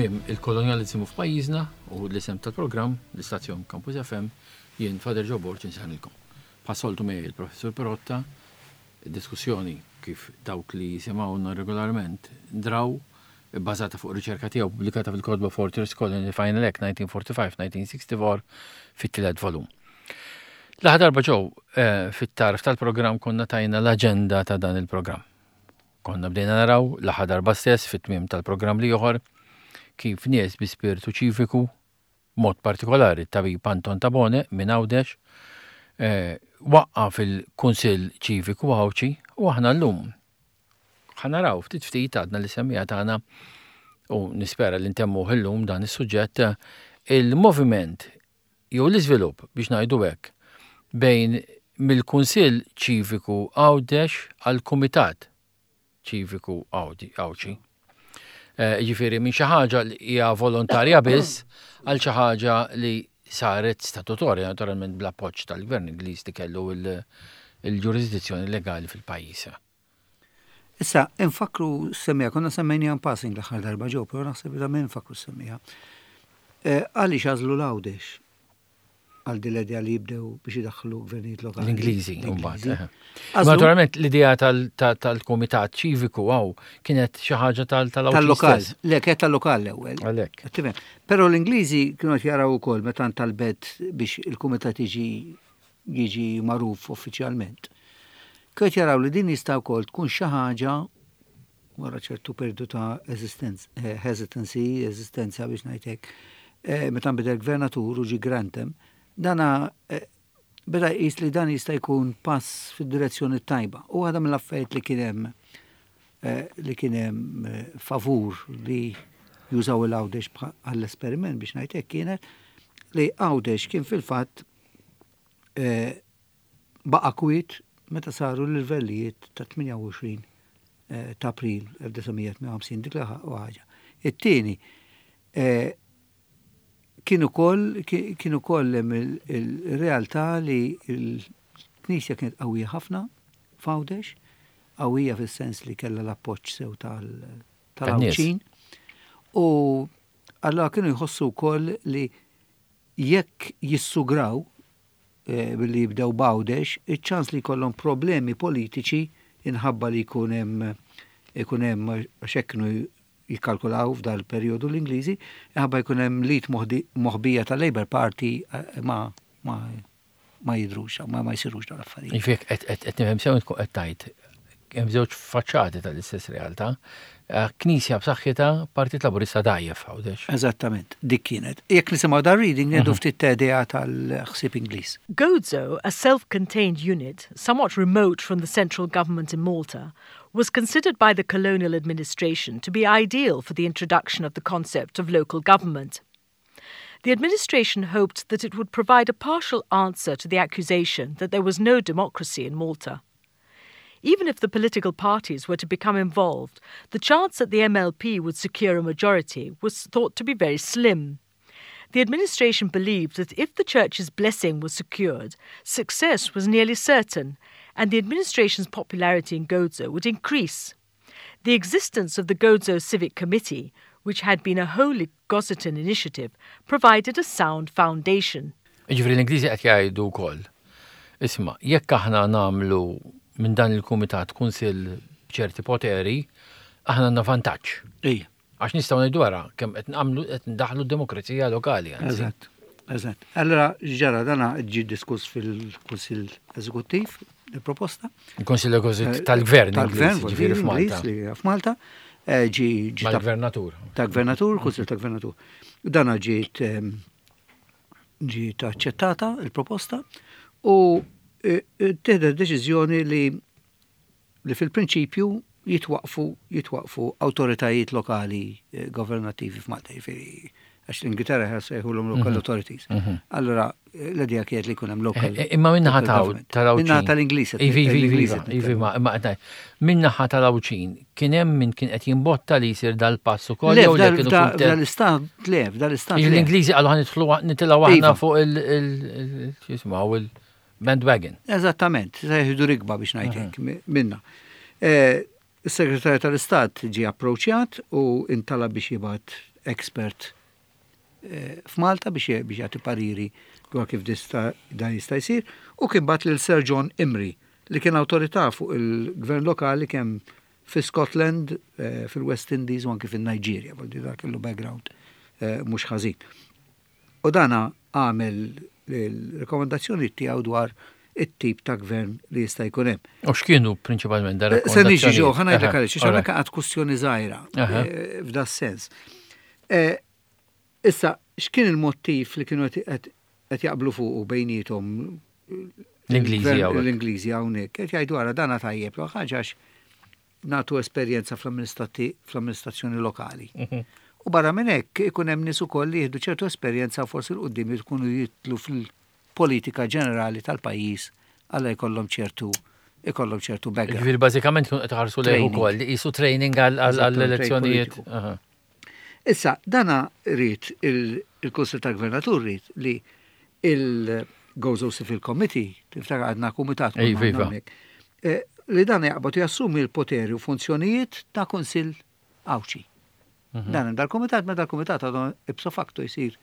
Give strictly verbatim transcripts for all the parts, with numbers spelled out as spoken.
Tmiem il-kolonjalizmu f'pajjiżna u l-isem tal-programm, l-istazzjon Campus F M, jien Father Joe Borg insellmilkom. Bħas-soltu miegħi il-Professur Perotta, diskussjoni kif dawk li jisimgħuna regolarment draw, bbażata fuq riċerka tiegħu pubblikata fil-kotba Fortress Colony Final Act nineteen forty-five nineteen sixty-four fit-tielet volum. L-aħħar darba ġew eh, fit-tarf tal-programm konna tajna l-aġenda ta' dan il-programm. Konna bdejna naraw l-aħħar darba stess fit-tmiem tal-programm li joħor kif nies bi spiritu ċiviku, mod partikolari tabib Anton Tabone minn Għawdex, eh, waqqaf il-Kunsill Ċiviku Għawdxi u aħna llum ħa naraw ftit ftit għadna li semmija tagħna u nispera li ntemmu illum dan is-suġġett, il-moviment jew l-iżvilupp biex ngħidu hekk bejn mill-Kunsill Ċiviku Għawdex għal Kumitat Ċiviku Għawdxi. Eh, Ġifieri minn xi ħaġa li hija volontarja biss għal xi ħaġa li saret statutorja, naturalment bl-appoġġ tal-Gvern Ingliż li kellu il-ġurisdizzjoni legali fil-pajjiż. Issa, infakru semmija, konna semmejnija passing l-aħħar darba ġew, pero naħseb li minn infakru semmija. Eh, għaliex għażlu l-Għawdex għal din l-idea li jibdew biex idaħħlu gvernijiet lokali? L-Ingliżi, L-Ingliżi. mbagħad. eh. Għażlu- Naturalment l-idea tal-Kumitat Ċiviku għaw kienet xi ħaġa tal-Għawdex Tal-lokal, stess. Le, kienet tal-lokal l-ewwel. Għalhekk. Tifhem. Però l-Ingliżi kienu qed jaraw ukoll meta ntalbet biex il-kumitat jiġi jiġi magħruf uffiċjalment. Kienu qed jaraw li din jista' wkoll tkun xi ħaġa wara ċertu periodu ta' esistenz- eh, hesitancy, eżistenza biex ngħidlek, eh, meta nbidel gvernatur u ġi Grantham, dana eh, beda jqis li dan jista' jkun pass fid-direzzjoni tajba. U għada mill-affarijiet li kien hemm eh, li kien hemm eh, favur li jużaw il-Għawdex għall-esperiment biex ngħidlek kienet li Għawdex kien fil-fatt eh, baqa kwiet meta saru l-livellijiet ta' tmienja u għoxrin eh, ta' April elf disa' mija tmienja u ħamsin, dik l ħaġa. It-tieni, eh, kien ukoll kien ukoll hemm il- il-realtà li l-Knisja kienet qawwija ħafna f'Għawdex, qawwija fis-sens li kellha l-appoġġ sew tal- tal-Għawdxin. U allora kienu jħossu wkoll li jekk jissugraw eh, billi jibdew b'Għawdex, iċ-ċans li jkollhom problemi politiċi inħabba li jkun hemm ikun hemm, għax hekk kienu jikkalkulaw f'dal periodu l-Ingliżi, inħabba jkun hemm lit moħbija tal-Labour Party eh, ma ma ma jidrux, ma ma jsirux dawn l-affarijiet. Ġifieri qed qed nifhem sew, tkun qed tgħid hemm żewġ faċċati tal-istess realtà. Eh, Knisja b'saħħitha, Partit Laburista dgħajjef Għawdex. Eżattament, dik kienet. Jekk nisimgħu dar reading ngħidu ftit idea tal-ħsieb Ingliż. Gozo, a self contained unit, somewhat remote from the central government in Malta, was considered by the colonial administration to be ideal for the introduction of the concept of local government. The administration hoped that it would provide a partial answer to the accusation that there was no democracy in Malta. Even if the political parties were to become involved, the chance that the M L P would secure a majority was thought to be very slim. The administration believed that if the church's blessing was secured, success was nearly certain, and the administration's popularity in Gozo would increase. The existence of the Gozo Civic Committee, which had been a wholly Gozitan initiative, provided a sound foundation. Ġifieri l-Ingliżi qed jgħidu wkoll: Isma', jekk aħna nagħmlu minn dan il-kumitat kunsill b'ċerti poteri, aħna għandna vantaġġ. Ija. Għax nistgħu ngħidu wara kemm qed nagħmlu, qed ndaħlu demokrazija lokali, anzi. Eżatt, eżatt. Allora ġara dana ġi diskuss fil-Kunsill Eżekuttiv, il-proposta. Il-Kunsill Eżekuttiv tal-Gvern Tal-Gvern, Ingliż, ġifieri f'Malta. Ingliż li f'Malta. eh, Ġi ġi ta' Mal-gvernatur. Ta' gvernatur, Kunsill ta' gvernatur. Dana ġiet em, ġiet aċċettata il-proposta u eh, eh, tieħdet deċiżjoni li li fil-prinċipju jitwaqfu jitwaqfu awtoritajiet lokali eh, governattivi f'Malta, jiġifieri għax l-Ingilterra sejħulhom local authorities. Allora l-idea kienet li jkun hemm local. Eh, Imma minnaħa local ta' government. tal-Għawdxin. Minnaħa tal-Ingliż. Ivi, ivi, ivi, l-Ingliż qed ivi, nitkellem. ma imma qed ngħid, minnaħa tal-Għawdxin, kien hemm min kien qed jimbotta li jsir dal-pass ukoll Le, jew le f'dal- kienu f'da- kuntent? f'dal-istat, le, f'dal-istat. Le. L-Ingliżi qalu ħa nidħlu, nitilgħu aħna Iva. fuq il- il- x'jismu il-bandwagon. Eżattament, se jieħdu rikba biex ngħidlek minna. Eh, Is-Segretarju tal-Istat ġie approċjat u intalab biex jibgħat expert eh, f'Malta biex biex jagħti pariri dwar kif dista dan jista' jsir, u kien bagħat lil Sir John Imrie li kien awtorità fuq il-gvern lokali kemm fi Scotland, eh, fil-West Indies u anki fil-Nigeria, vuol dire kellu background eh, mhux ħażin. U dana għamel il-rekomendazzjoni tiegħu dwar it-tip ta' gvern li jista' jkun hemm. U x'kienu prinċipalment da Eh, Se niġi ġo, ħa ngħidlek Aha, għaliex, għax alright. hawnhekk għad kwestjoni żgħira Aha. eh, f'da sens. Eh, Issa, x'kien il-mottiv li kienu qed qed jaqblu fuqu bejniethom L-Ingliżi il-gvern- hawnhekk. L-Ingliżi hawnhekk. Qed jgħidu ara dana tajjeb, l ħaġa għax nagħtu esperjenza fl-amministrati- fl-amministrazzjoni lokali. Mhm. U barra minn hekk ikun hemm nies ukoll li jieħdu ċertu esperjenza forsi 'l quddiem jkunu jidħlu fil-politika ġenerali tal-pajjiż għalla jkollhom ċertu ikollhom ċertu background. Ġifieri bażikament kienu qed iħarsu lejh Training. ukoll li qisu training għal- għal- għall-elezzjonijiet. Politiku. Aha. Issa, dana rrid il-Kunsil tal-Gvernatur rrid li il-Gozo Civil Committee, tiftakar għadna kumitat Ej, konna viva. hawnhekk, eh, li dan jaqbad jassumi l-poteri u funzjonijiet ta' Kunsil Għawdxi. Mhm. Dan hemm dal-kumitat, ma dal-kumitat għadu ipso facto jsir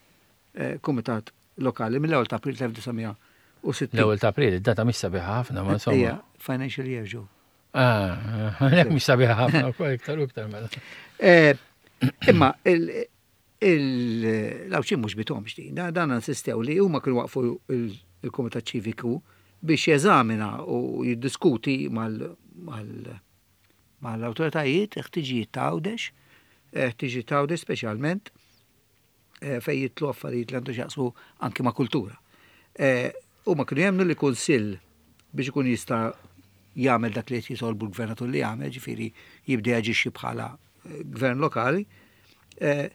eh, kumitat lokali mill-ewwel ta' April elf disa' mija u sittin. L-ewwel ta' April, id-data mhix sabiħa ħafna, ma insomma. Ija, financial year ġo. Ah, għalhekk mhix sabiħa ħafna wkoll iktar u iktar mela. Eh, Imma l-Għawdxin mhux bithom xtin, dan insistew li huma kienu waqfu il- il-Komitat Ċiviku biex jeżamina u jiddiskuti mal- mal- mal-autoritajiet ħtiġijiet ta' Għawdex, ħtiġijiet ta' Għawdex speċjalment eh, fej jidħlu affarijiet li għandu x'jaqsmu anki ma' kultura. Eh, Huma kienu jemmnu li kunsill biex ikun jista' jagħmel dak li qed jitolbu l-gvernatur li jagħmel, ġifieri jibda jaġixxi bħala eh, gvern lokali, eh,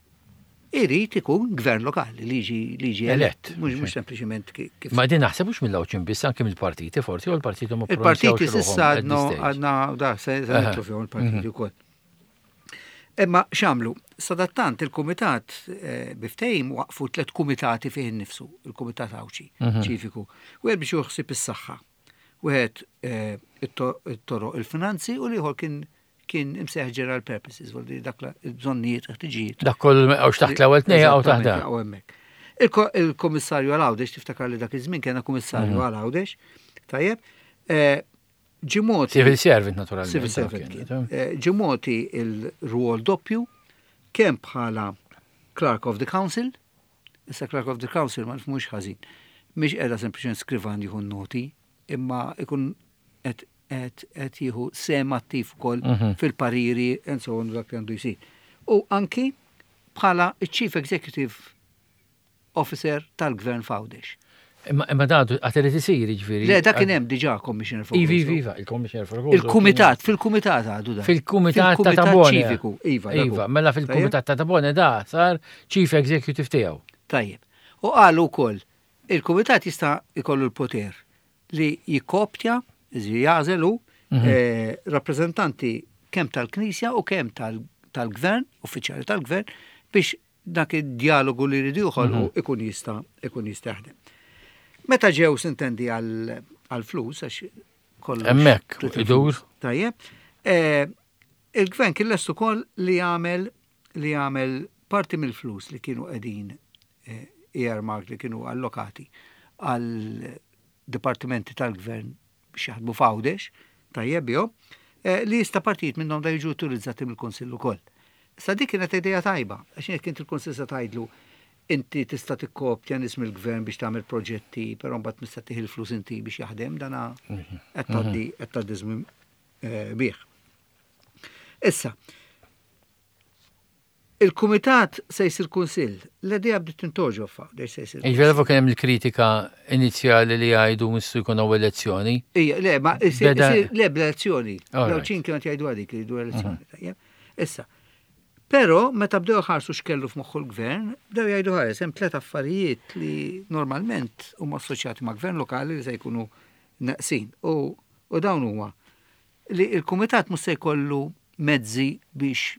irid ikun gvern lokali li jiġi li jiġi Elett. elett, mhux mhux sempliċiment ki- kif Ma din naħseb mhux mill-Għawdxin biss anke mill-partiti forsi u l-partiti ma Il-partiti ppronunzjawx s'issa ruħhom at għadna this stage. għadna da se se Aha. nidħlu fihom il-partiti wkoll. Imma x'għamlu? Sadattant il-kumitat eh, bi ftehim waqfu tliet kumitati fih innifsu, il-kumitat Għawdxi, Mhm. ċiviku. Wieħed biex juħsib is-saħħa, wieħed eh, it-to- it-toroq il-finanzi u l-ieħor kien kien imsejjaħ general purposes, vuol dire dak la- il-bżonnijiet, ħtiġijiet. Dak kollu għax taħt l-ewwel tnejn għaw taħt Eżattament, dak. jaqgħu hemmhekk. Il-ko- Il-komissarju għal Għawdex, tiftakar li dak iż-żmien kena kummissarju Mhm. għal Għawdex, tajjeb, eh, ġie mogħti Civil servant naturalment. Civil dak servant kien, kien. Eh, Ġie mogħti il-rwol doppju kemm bħala Clerk of the Council, issa Clerk of the Council ma nifhmux ħażin, mhix qiegħda sempliċement skrivan jieħu noti, imma ikun qed qed qed jieħu sehem attiv ukoll Mhm. fil-pariri and so on dak li għandu jsir. U anki bħala Chief Executive Officer tal-Gvern f'Għawdex. Imma imma dan għad irid isir jiġifieri. Le, dak kien hemm diġà Commissioner for Ivi, Gozo. iva, il-Commissioner for Gozo. Il-Kumitat, fil-Kumitat għadu dan. Fil-Kumitat ta' Fil-Kumitat Tabone. Ċiviku, iva. dak Iva, hu. mela fil-Kumitat ta' Tabone da sar Chief Executive tiegħu. Tajjeb. U qalu wkoll, il-Kumitat jista' jkollu l-poter li jikkoptja, iżi jagħżelu Mhm. eh, rappreżentanti kemm tal-Knisja u kemm tal- tal-Gvern, uffiċjali tal-Gvern, biex dak id-dialogu li jridu joħolqu Mhm. ikun jista' ikun jista' jaħdem. Meta ġew sintendi għal għal-flus, għax kollox. Hemmhekk, trid idur. il-flus. Tajjeb. Eh, Il-gvern kien lest ukoll li jagħmel li jagħmel parti mill-flus li kienu qegħdin eh, earmark li kienu allokati għal dipartimenti tal-gvern biex jaħdmu f'Għawdex, tajjeb bihom, eh, li jista' partijiet minnhom da jiġu utilizzati mill-Kunsill ukoll. Issa dik kienet idea tajba, għax jekk inti il-Kunsill se tgħidlu inti tista' tikkopja nies mill-gvern biex tagħmel proġetti, però mbagħad tista' tieħu il-flus inti biex jaħdem dana qed tgħaddi qed tgħaddi żmien eh, bih. Issa, il-kumitat se jsir kunsill, l-idea bdiet tintogħġob f'Għawdex se jsir. Jiġifieri kien hemm il-kritika inizjali li jgħidu missu jkun hawn elezzjoni. Ija, le, ma isir- Beda- isir- le bl-elezzjoni. All right. L-Għawdxin kienu jgħidu għadik li jgħidu elezzjoni. tajjeb. Issa, però meta bdew ħarsu x'kellu f'moħħu l-gvern, bdew jgħidu ħares hemm tliet affarijiet li normalment huma assoċjati ma' gvern lokali li se jkunu neqsin. U, u dawn huma li il-kumitat mhux se jkollu mezzi biex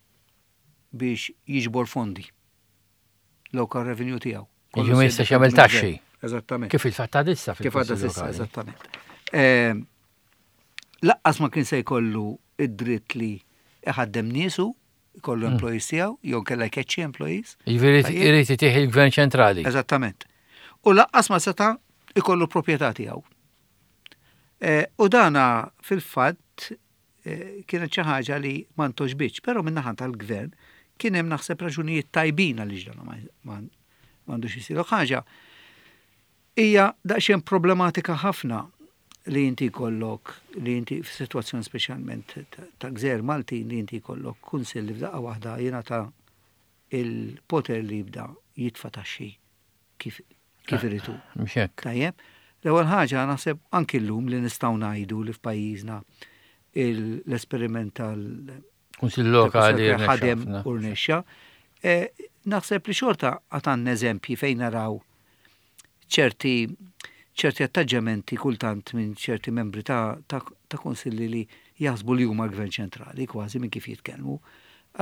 biex jiġbor fondi local revenue tiegħu. Jiġifieri ma jistax jagħmel taxxi. Eżattament. Kif il-fatt għad issa Kif għadda fil-Kunsill s'issa, Lokali. eżattament. Eh, Laqqas ma kien se jkollu id-dritt li iħaddem niesu, jkollu employees tiegħu, jew kella jkeċċi employees. Jiġifieri Tajjeb. irid itih il-gvern ċentrali. Eżattament. U lanqas ma seta' ikollu proprjetà tiegħu. Eh, U dana fil-fatt eh, kienet xi ħaġa li ma ntgħoġbitx, però min-naħa tal-gvern kien hemm naħseb raġunijiet tajbin għaliex dan ma- ma m'għandux isir. Ħaġa hija daqsxejn problematika ħafna li inti jkollok li inti f'sitwazzjoni speċjalment ta- ta' gżejjer Maltin li inti jkollok kunsill li f'daqqa waħda jingħata il-poter li jibda jitfa' taxxi kif kif iridu. Mhux hekk. Tajjeb, l-ewwel ħaġa naħseb anki llum li nistgħu ngħidu li f'pajjiżna il- l-esperiment tal Kunsill lokali tal- ħadem rnexxa ħafna. u rnexxa. Eh, Naħseb li xorta għad għandna eżempji fejn naraw ċerti ċerti attaġġamenti kultant minn ċerti membri ta', ta, ta' konsilli li jaħsbu li huma l-gvern ċentrali kważi minn kif jitkellmu.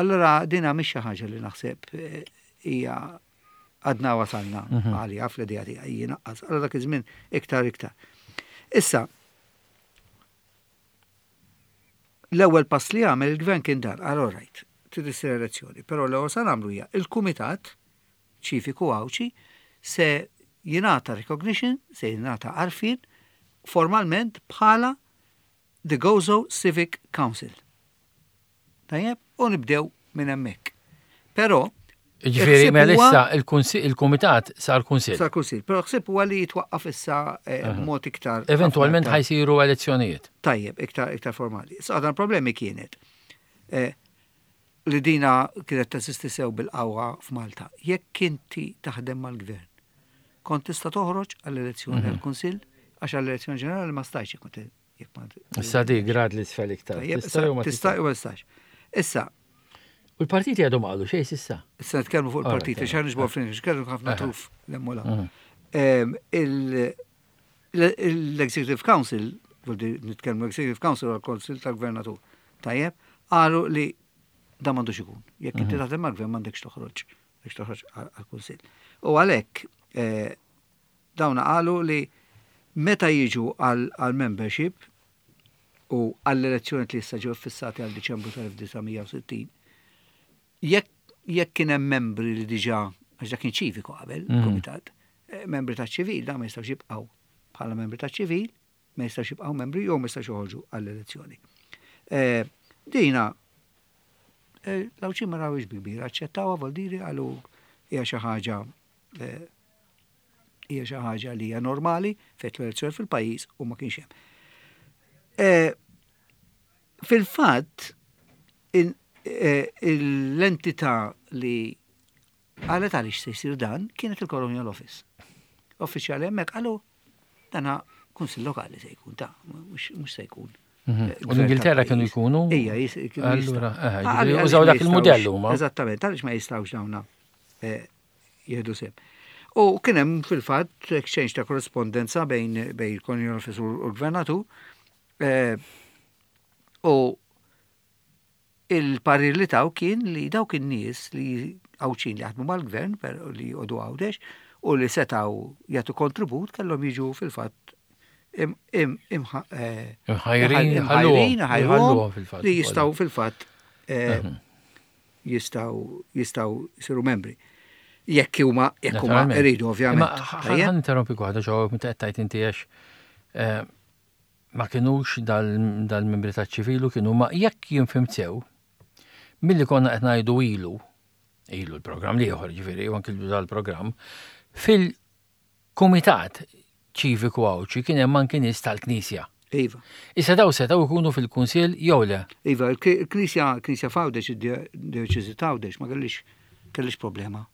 Allora dina mhix xi ħaġa li naħseb eh, hija għadna wasalna għalija fl-idea tiegħi jiena Allora dak iż-żmien iktar iktar. Issa, l-ewwel pass li għamel il-gvern kien dar, għal right, trid issir elezzjoni, però l-ewwel sa nagħmlu hija il-kumitat ċiviku Għawdxi se jingħata recognition, se jingħata għarfien formalment bħala the Gozo Civic Council. Tajjeb, u nibdew minn hemmhekk. Però Ġifieri il-ħsieb mela huwa- issa il-kunsi- il-kumitat sar kunsill. Sar kunsill, però ħsieb huwa li jitwaqqaf issa eh, b'mod iktar. Eventualment iktar- ħa jsiru elezzjonijiet. Tajjeb, iktar, iktar formali. Issa għadan problemi kienet eh, li dina kienet teżisti sew bil-qawwa f'Malta. Jekk inti taħdem mal-gvern, kont tista' toħroġ għall-elezzjoni għall-Kunsill, għax għall-elezzjoni ġenerali ma stajx jekk ma jekk ma Issa di grad l-isfel iktar. Tajjeb, Tista' jew ma tista' tista'. jew ma tistax. Issa, U l-partiti għadhom qalu xejn s'issa. issa nitkellmu fuq il-partiti, Alright, xejn nġbor flin, nitkellmu ħafna Aha. truf l-emmola. Mhm. Em, il- L-Executive Council, vuol dire nitkellmu Executive Council għal Council tal-Gvernatur, tajjeb, qalu li da m'għandux ikun. Jekk inti taħdem mal-gvern m'għandekx toħroġ, m'għandekx toħroġ għal-Kunsill. U għalhekk eh, dawna qalu li meta jiġu għal-membership u għall-elezzjoni li issa ġew fissati għal Diċembru tal-elf disa' mija u sittin, jekk jekk kien hemm membri li diġà għax dak kien ċiviku qabel, Mhm. komitat, eh, membri ta' ċivil, da ma jistgħux jibqgħu bħala membri ta' ċivil, ma jistgħux jibqgħu membri jew ma jistgħux joħorġu għall-elezzjoni. Eh, Dina eh, l-Għawdxin ma rawhiex bi kbira, aċċettawha vuol dire qalu hija xi ħaġa eh, hija xi ħaġa li hija normali fejn l-elezzjoni fil-pajjiż u ma kienx hemm. Eh, Fil-fatt, in- eh, l-entità li qalet għaliex se jsir dan kienet il-Colonial Office. Uffiċjali hemmhekk qalu dana kunsill lokali se jkun ta' mhux mhux se jkun. Mhm. eh, U gvern l-Ingilterra kienu tal-pajjiż. jkunu? Ija, jis- kienu Allura, jistgħu. eh, Ah, ġifieri għaliex użaw ma dak il-mudell jistgħux- huma. Eżattament, għaliex ma jistgħux dawna eh, jieħdu sehem. U kien hemm fil-fatt exchange ta' korrespondenza bejn bejn il-Colonial Office u l-Gvernatur eh, u il-parir li taw kien li dawk in-nies li Għawdxin li jaħdmu mal-gvern per li joqogħdu Għawdex u li setaw jagħtu kontribut kellhom jiġu fil-fatt im- im- imħa- eh, Imħajrin, imħajrin, ħalluhom, ħajruhom ħalluhom fil-fatt li ukoll. jistgħu fil-fatt eh, jistgħu jistgħu jsiru membri. Jekk huma jekk huma Naturalment. iridu ovvjament. Ma Tajjeb? ħa ninterrompi waħda ġo meta qed tgħid inti għax eh, ma kinux dal- dal-membri taċ-ċivilu kienu ma jekk jien fhimt sew milli konna qed ngħidu ilu ilu l-programm l-ieħor ġifieri u anki dal-programm fil-kumitat ċiviku Għawdxi kien hemm anki nies tal-Knisja. Iva. Issa daw setgħu jkunu fil-kunsill jew le. Iva, il-Knisja Knisja f'Għawdex, id-dioċesi t'Għawdex ma kellix kellix problema.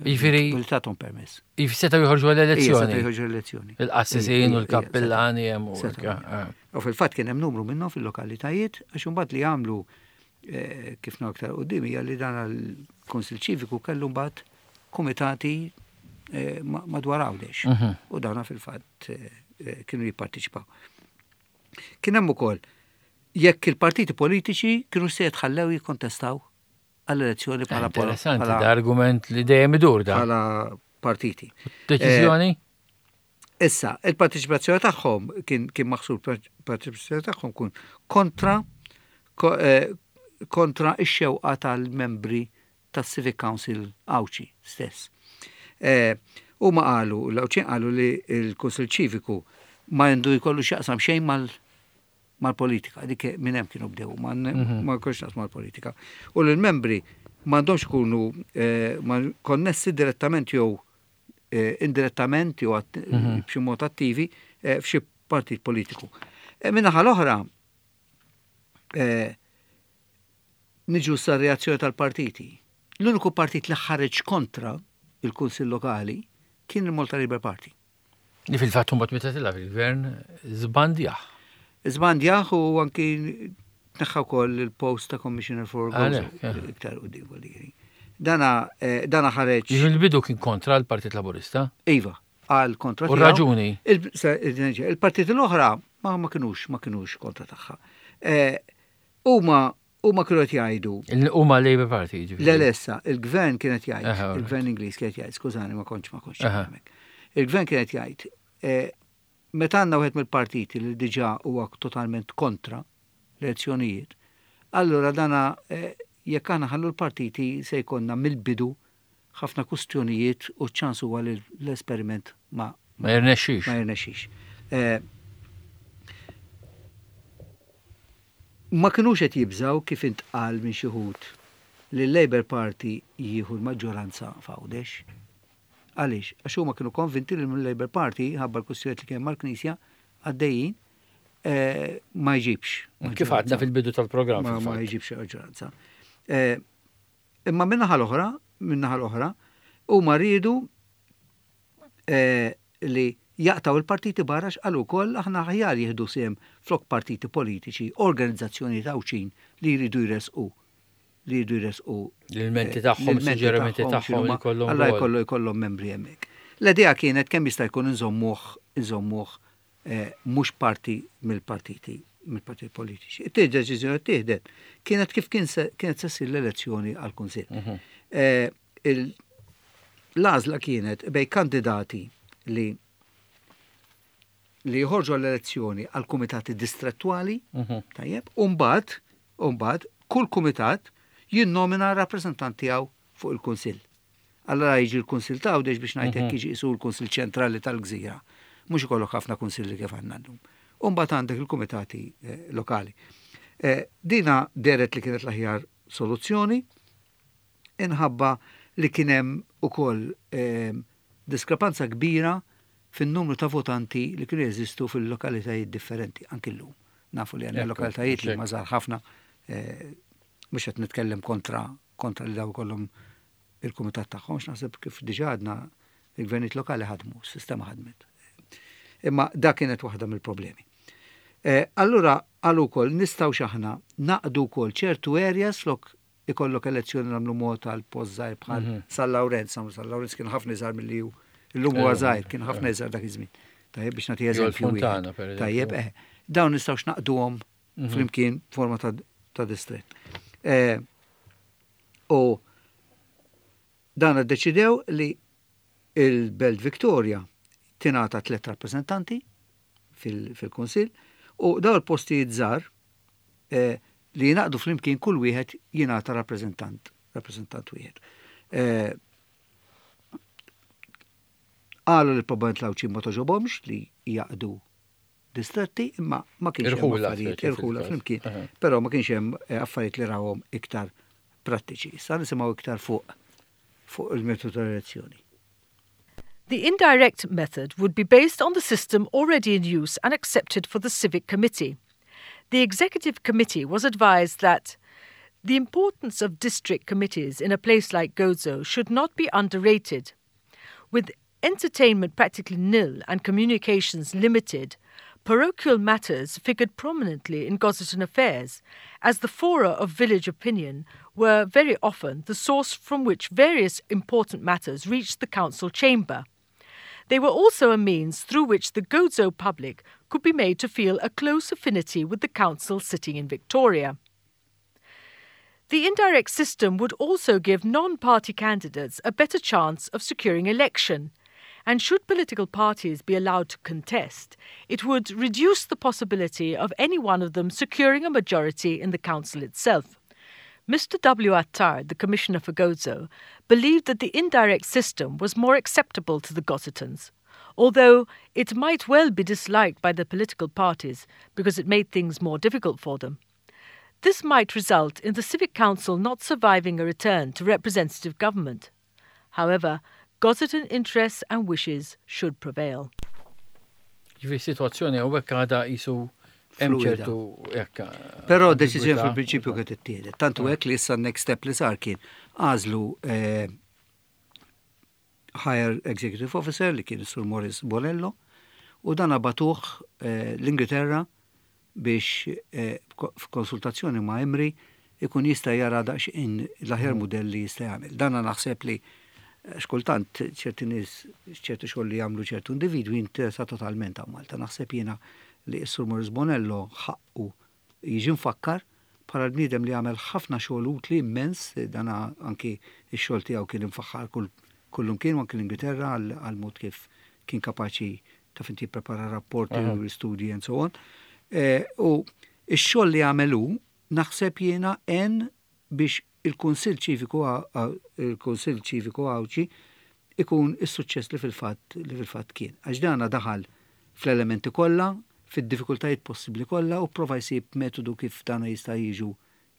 Jiġifieri Billi tathom permess. setgħu joħorġu Ija, għall-elezzjoni. setgħu joħorġu l-elezzjoni. Il-qassisin u Ija, l-kappillani hemm u setgħu. eh. U fil-fatt kien hemm numru minnhom fil-lokalitajiet għax imbagħad li għamlu eh, kif naraw aktar quddiem hija li dan il-Kunsill Ċiviku kellu mbagħad kumitati eh, ma- madwar Għawdex. Mhm. U dawna fil-fatt eh, eh, kienu jipparteċipaw. Kien hemm ukoll jekk il-partiti politiċi kienu se jitħallew jikkontestaw għall-elezzjoni bħala Interessanti, bħala- da argument li dejjem idur da. bħala partiti. Deċiżjoni? Issa, il-partiċipazzjoni tagħhom kien kien maħsub parteċipazzjoni tagħhom kun kontra ko, eh, kontra ix-xewqa tal-membri tas-Civic Council Għawdxi stess. Eh, Huma qalu, l-Għawdxin qalu li l-Kunsill Ċiviku ma għandu jkollu x'jaqsam xejn mal mal-politika, dik minn hemm kienu bdew, ma ma jkollx x'jaqsam mal-politika. U l-membri m'għandhomx ikunu eh, ma konnessi direttament jew eh, indirettament jew att- b'xi mod attivi eh, f'xi partit politiku. Eh, Min-naħa l-oħra, eh, niġu sa reazzjoni tal-partiti. L-uniku partit li ħareġ kontra il-Kunsill Lokali kien il-Malta Labour Party. Li fil-fatt mbagħad meta tela' fil-gvern żbandjah. Żbandjah u anki tneħħa wkoll il-post ta' Commissioner for Gozo Għalhekk, eh. iktar u di Dana, eh, dana ħareġ. Il-bidu kien kontra l-Partit Laburista. Iva, għal kontra U tiegħu. raġuni? Il- se- il- Il-partiti l-oħra ma ma kinux ma kinux kontra tagħha. Eh, Huma huma kienu qed jgħidu Il- Huma Labour Party, ġifieri. Le lessa, il-gvern kienet jgħid, Aha, alright. il-gvern Ingliż kienet jgħid, skużani ma kontx ma kontx Aha. hemmhekk. Il-gvern kienet jgħid, eh, meta għandna wieħed mill-partiti li diġà huwa totalment kontra l-elezzjonijiet, allura dana eh, jekk aħna ħallu l-partiti se jkollna mill-bidu ħafna kustjonijiet u ċans huwa li l-esperiment ma Ma jirnexxix. ma jirnexxix. Eh, Ma kinux qed jibżaw kif intqal minn xi wħud li l-Labour Party jieħu l-maġġoranza f'Għawdex. Għaliex? Għax huma kienu konvinti li l-Labour Party ħabba l-kwistjonijiet li kien mal-Knisja għaddejjin eh, ma jġibx. Kif għadna fil-bidu tal-programm. Ma, ma fil-fatt. jġibx maġġoranza. Eh, Imma min-naħa l-oħra, min-naħa l-oħra, huma riedu eh, li jaqtaw il-partiti barra x'qalu wkoll aħna aħjar jieħdu sehem flok partiti politiċi, organizzazzjoni Għawdxin li jridu jresqu li jridu jresqu L-ilmenti eh, tagħhom, l-ilmenti suġġerimenti tagħhom x'inhuma, li jkollhom Alla rwol. jkollu jkollhom membri hemmhekk. L-idea kienet kemm jista' jkun inżommuh inżommuh eh, mhux parti mill-partiti mill-partiti politiċi. It-tieni deċiżjoni ttieħdet kienet kif kien se, kienet se ssir l-elezzjoni għall-Kunsill. Mhm. Eh, il- L-għażla kienet bej kandidati li li jħorġu għall-elezzjoni għal kumitati distrettuali, Mhm. tajjeb, u mbagħad, u mbagħad kull kumitat jinnomina rappreżentant tiegħu fuq il-Kunsill. Allora jiġi l-Kunsill ta' Għawdex biex ngħidlek jiġi qisu l-Kunsill ċentrali tal-Gżira. Mhux ikollok ħafna kunsilli kif għandna llum. U mbagħad għandek il-kumitati eh, lokali. Eh, Dina dehret li kienet l-aħjar soluzzjoni, inħabba li kien hemm ukoll eh, diskrepanza kbira fin-numru ta' votanti li kienu jeżistu fil-lokalitajiet differenti, anki llum. Nafu li għandna Ekku, lokalitajiet li hekk. ma żgħar ħafna, eh, mhux qed nitkellem kontra kontra li daw kollhom il-kumitat tagħhom, naħseb kif diġà għadna il-gvernijiet lokali ħadmu, s-sistema ħadmet. Imma da kienet waħda mill-problemi. Eh, Allura, għalu wkoll nistgħu x'aħna naqdu wkoll ċertu areas flok ikollok elezzjoni nagħmlu mod għal post żgħir bħal Mhm. San Lawrenz, San Lawrenz kien ħafna iżgħar milli hu. Illum huwa Eh, żgħir, kien ħafna iżgħar dak iż-żmien. Tajjeb biex nagħti Jew eżempju. l-Fontana, wieħed. per eżempju. Tajjeb, eh, dawn nistgħux naqduhom Mhm. flimkien forma ta' ta' distret. Eh, U dan iddeċidew li il-Belt Victoria tingħata tliet rappreżentanti fil- fil-Kunsill u daw il-postijiet żgħar eh, li jingħaqdu flimkien kull wieħed jingħata rappreżentant, rappreżentant wieħed. Eh, Qalu li probabbilment l-Għawdxin ma togħġobhomx li jaqdu distretti, imma ma kienx hemm Irħula, affarijiet, fil- irħula fil-każ. flimkien, Aha. però ma kienx hemm eh, affarijiet li rawhom iktar prattiċi. Issa nisimgħu iktar fuq fuq il-metodu tal-elezzjoni. The indirect method would be based on the system already in use and accepted for the Civic Committee. The Executive Committee was advised that the importance of district committees in a place like Gozo should not be underrated. With entertainment practically nil and communications limited, parochial matters figured prominently in Gozitan affairs, as the fora of village opinion were very often the source from which various important matters reached the council chamber. They were also a means through which the Gozo public could be made to feel a close affinity with the council sitting in Victoria. The indirect system would also give non party candidates a better chance of securing election. And should political parties be allowed to contest, it would reduce the possibility of any one of them securing a majority in the council itself. Mister W. Attard, the Commissioner for Gozo, believed that the indirect system was more acceptable to the Gozitans, although it might well be disliked by the political parties because it made things more difficult for them. This might result in the Civic Council not surviving a return to representative government. However, Gozitan interests and wishes should prevail. Ġifieri sitwazzjoni hawnhekk għadha qisu hemm Fluida. ċertu hekk. Però deċiżjoni fil-prinċipju kienet ittieħdet. Tantu hekk li issa next step li sar kien għażlu eh, Higher Executive Officer li kien Sur Morris Bonello u dan bagħtuh eh, l-Ingilterra biex eh, f'konsultazzjoni ma' Imrie ikun jista' jara daqsxejn l-aħjar modell li jista' jagħmel. Dan naħseb li eh, xkultant ċerti nies, ċerti xogħol li jagħmlu ċertu individwi interessa totalment għal Malta. Naħseb jiena li s-Sur Morris Bonello ħaqqu jiġi mfakkar bħala l-bniedem li għamel ħafna xogħol utli immens, dana anki x-xogħol tiegħu kien imfaħħar kull kullum kien anki l-Ingilterra għal mod kif kien kapaċi taf inti prepara rapporti u studji and so on. Eh, u x-xogħol li għamelu naħseb jiena en biex il-Kunsill Ċiviku il-Kunsill Ċiviku Għawdxi ikun is-suċċess li fil-fatt li fil-fatt kien. Għax dana daħal fl-elementi kollha, fid-diffikultajiet possibbli kollha u prova jsib metodu kif dana jista' jiġu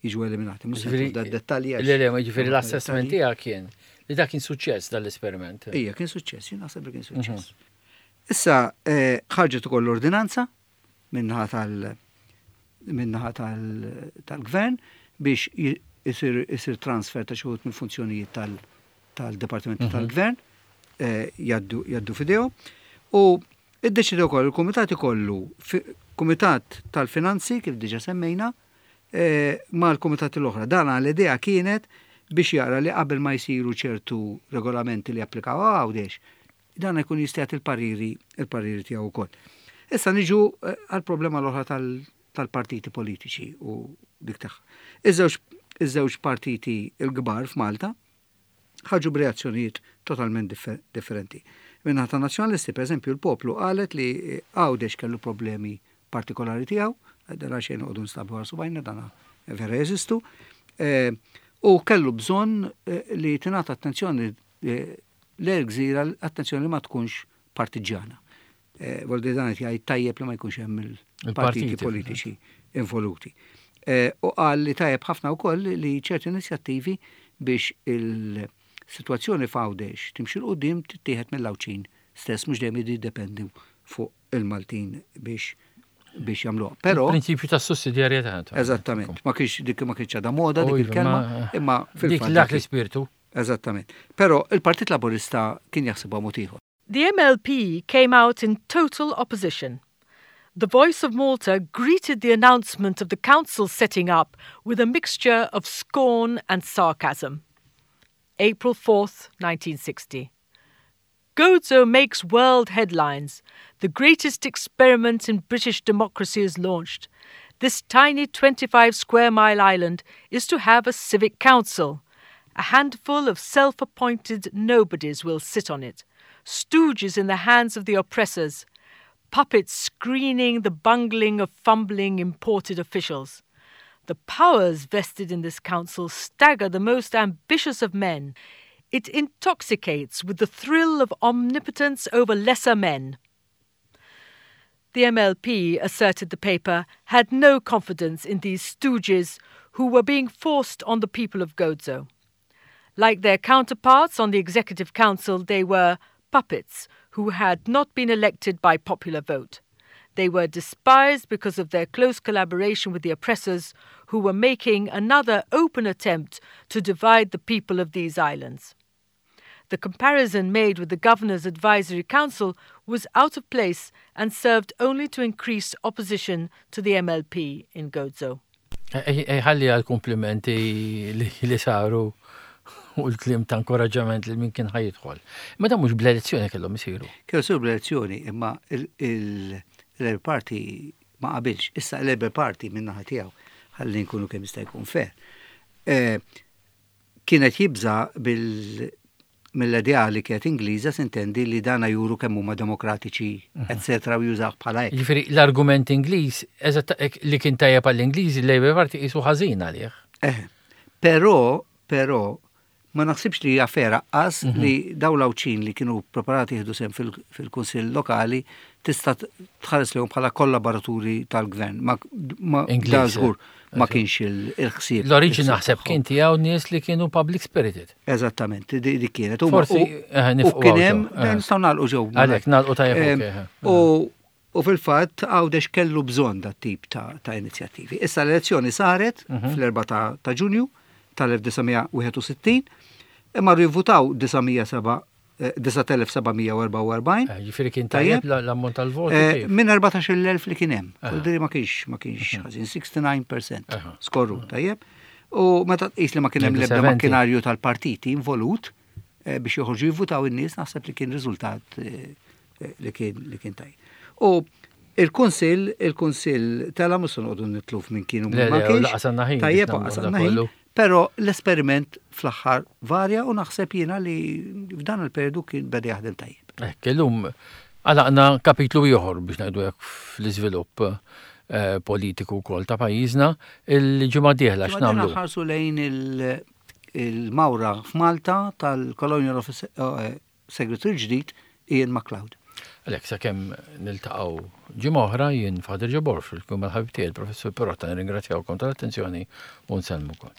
jiġu eliminati. Mhux se da dettalji. Le, le, ma ġifieri l-assessment tiegħek kien li dak kien suċċess dal-esperiment. Ija, kien suċċess, jien naħseb li kien suċċess. Issa eh, ħarġet ukoll l-ordinanza min-naħa tal min-naħa tal-gvern biex isir isir transfer ta' xi wħud mill-funzjonijiet tal-Departimenti tal-Gvern eh, jgħaddu jgħaddu f'idejhom. U iddeċidew ukoll il-kumitat ikollu kumitat tal-finanzi kif diġa semmejna eh, ma' l-kumitat l-oħra. Dan l-idea kienet biex jara li qabel ma jsiru ċertu regolamenti li applikaw Għawdex, dan jkun jista' jagħti il-pariri il-pariri tiegħu wkoll. Issa niġu eh, għal-problema l-oħra tal-partiti politiċi u dik tagħha. Iż-żewġ iż-żewġ partiti il-kbar f'Malta ħarġu b'reazzjonijiet totalment differenti. Min-naħa ta' nazzjonalisti, per eżempju, il-poplu qalet li Għawdex kellu problemi partikolari tiegħu, dara xejn noqogħdu nstabu għal subgħajna dana vera jeżistu, eh, u kellu bżonn eh, li tingħata attenzjoni l-gżira attenzjoni li ma tkunx partiġana. Voldi dan qed jgħid tajjeb li ma jkunx hemm il-partiti politiċi involuti. U qal li tajjeb ħafna wkoll li ċerti inizjattivi biex il-sitwazzjoni f'Għawdex timxi 'l quddiem tittieħed mill-Għawdxin stess, mhux dejjem jiddependu fuq il-Maltin biex biex jagħmluha. Però prinċipju ta' sussidjarjetà. Eżattament, ma kienx dik ma kienx għadha moda dik il-kelma, imma fil-fatt. Dik dak l-ispirtu. Eżattament. Però il-Partit Laburista kien jaħsibha mod ieħor. The M L P came out in total opposition. The Voice of Malta greeted the announcement of the council setting up with a mixture of scorn and sarcasm. April fourth, nineteen sixty. "Gozo makes world headlines. The greatest experiment in British democracy is launched. This tiny twenty-five square mile island is to have a civic council. A handful of self appointed nobodies will sit on it, stooges in the hands of the oppressors, puppets screening the bungling of fumbling imported officials. The powers vested in this council stagger the most ambitious of men. It intoxicates with the thrill of omnipotence over lesser men." The M L P, asserted the paper, had no confidence in these stooges who were being forced on the people of Gozo. Like their counterparts on the Executive Council, they were puppets who had not been elected by popular vote. They were despised because of their close collaboration with the oppressors who were making another open attempt to divide the people of these islands. The comparison made with the Governor's Advisory Council was out of place and served only to increase opposition to the M L P in Gozo. Ħalli għal-komplimenti li saru u l-kliem ta' inkoraġġament li min kien ħa jidħol. Ma dan mhux bl-elezzjoni kellhom isiru. Kellu isiru bl-elezzjoni, imma il-Labour Party ma qabilx. Issa il-Labour Party min-naħa tiegħu, ħalli nkunu kemm jista' jkun fair. Eh, kienet jibża bil mill-idea li kienet Ingliża, sintendi, li dana juru kemm huma demokratiċi, eccetera, u jużaw bħala hekk. Ġifieri l-argument Ingliż, eżatt li kien tajjeb għall-Ingliżi, l-Labour Party qisu ħażin għalih. Eh, Però, però, ma naħsibx li hija fair qas mhm. li daw l-Għawdxin li kienu preparati jieħdu sehem fil-Kunsill Lokali tista' tħares lejhom bħala kollaboraturi tal-gvern. Ma, ma da żgur ma kienx il-ħsieb. L-oriġin naħseb kien tiegħu nies li kienu public spirited. Eżattament, dik kienet. Forsi eh, u kien hemm eh. nistgħu nagħlqu ġew. Għalhekk nagħlqu tajjeb. U U fil-fatt Għawdex kellu bżonn dat tip ta', ta' inizjattivi. Issa l-elezzjoni saret mhm. fl-erbgħa ta', ta Ġunju tal-elf disa' mija wieħed u sittin, imma jivvutaw disa' mija seba' eh, Ġifieri kien tajjeb l-ammont tal-voti? Eh, minn erbatax-il elf li kien hemm. Diri ma kienx ma kienx mhm. ħażin, disgħa u sittin fil-mija skorru, tajjeb. U meta tqis li ma kien hemm l-ebda makkinarju tal-partiti involut eh, biex joħorġu jivvutaw in-nies, naħseb li kien riżultat li kien li kien tajjeb. U il-Kunsill, il-Kunsill tela mhux se noqogħdu nitilfu minn kienu ma kienx. Tajjeb, għasanna ħin. Però l-esperiment fl-aħħar varja u naħseb jiena li f'dan il-periodu kien beda jaħdem tajjeb. Ekk, illum għalaqna kapitlu ieħor biex ngħidu hekk fl-iżvilupp eh, politiku wkoll ta' pajjiżna. Il-ġimgħa dieħla x'nagħmlu? Ħarsu lejn il-mawra f'Malta tal-Colonial Office eh, Secretary ġdid Ian MacLeod. Għalhekk, sakemm niltaqgħu ġimgħa oħra, jien Father Ġobor fil-kum mal-ħabib tiegħi il-Professur Perotta nirringrazzjawkom tal-attenzjoni u nsellmukom.